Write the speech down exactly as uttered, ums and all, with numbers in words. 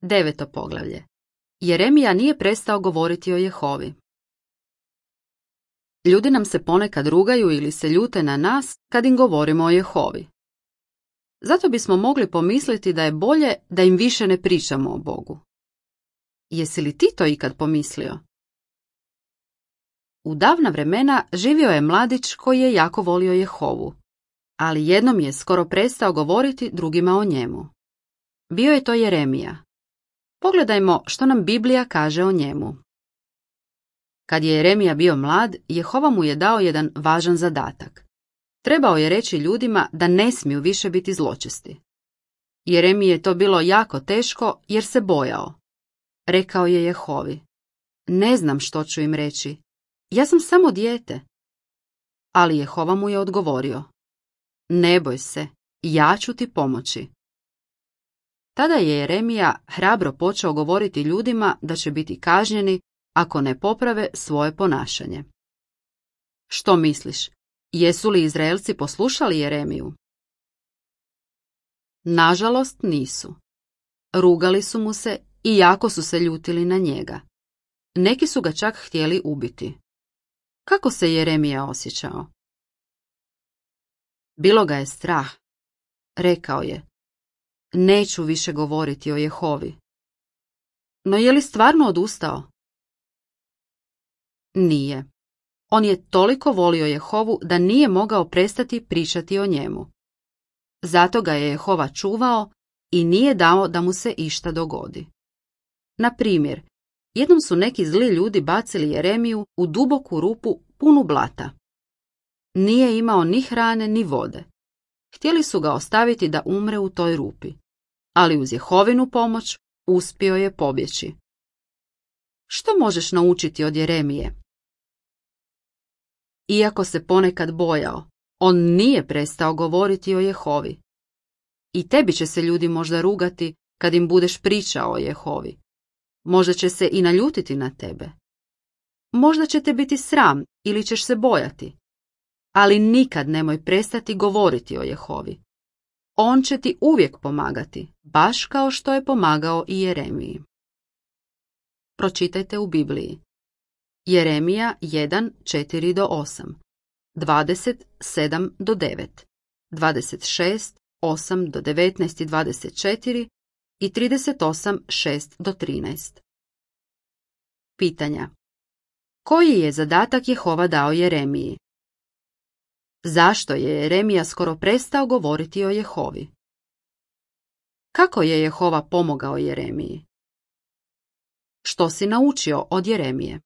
Deveto poglavlje. Jeremija nije prestao govoriti o Jehovi. Ljudi nam se ponekad rugaju ili se ljute na nas kad im govorimo o Jehovi. Zato bismo mogli pomisliti da je bolje da im više ne pričamo o Bogu. Jesi li ti to ikad pomislio? U davna vremena živio je mladić koji je jako volio Jehovu, ali jednom je skoro prestao govoriti drugima o njemu. Bio je to Jeremija. Pogledajmo što nam Biblija kaže o njemu. Kad je Jeremija bio mlad, Jehova mu je dao jedan važan zadatak. Trebao je reći ljudima da ne smiju više biti zločesti. Jeremiji je to bilo jako teško jer se bojao. Rekao je Jehovi: ne znam što ću im reći. Ja sam samo dijete. Ali Jehova mu je odgovorio: ne boj se, ja ću ti pomoći. Tada je Jeremija hrabro počeo govoriti ljudima da će biti kažnjeni ako ne poprave svoje ponašanje. Što misliš, jesu li Izraelci poslušali Jeremiju? Nažalost nisu. Rugali su mu se i jako su se ljutili na njega. Neki su ga čak htjeli ubiti. Kako se Jeremija osjećao? Bilo ga je strah. Rekao je: neću više govoriti o Jehovi. No je li stvarno odustao? Nije. On je toliko volio Jehovu da nije mogao prestati pričati o njemu. Zato ga je Jehova čuvao i nije dao da mu se išta dogodi. Na primjer, jednom su neki zli ljudi bacili Jeremiju u duboku rupu punu blata. Nije imao ni hrane ni vode. Htjeli su ga ostaviti da umre u toj rupi, ali uz Jehovinu pomoć uspio je pobjeći. Što možeš naučiti od Jeremije? Iako se ponekad bojao, on nije prestao govoriti o Jehovi. I tebi će se ljudi možda rugati kad im budeš pričao o Jehovi. Možda će se i naljutiti na tebe. Možda će te biti sram ili ćeš se bojati. Ali nikad nemoj prestati govoriti o Jehovi. On će ti uvijek pomagati, baš kao što je pomagao i Jeremiji. Pročitajte u Bibliji. Jeremija jedan, četiri do osam, dvadeset sedam do devet, dvadeset šest, osam do devetnaest i dvadeset četiri i trideset osam, šest do trinaest. Pitanja. Koji je zadatak Jehova dao Jeremiji? Zašto je Jeremija skoro prestao govoriti o Jehovi? Kako je Jehova pomogao Jeremiji? Što si naučio od Jeremije?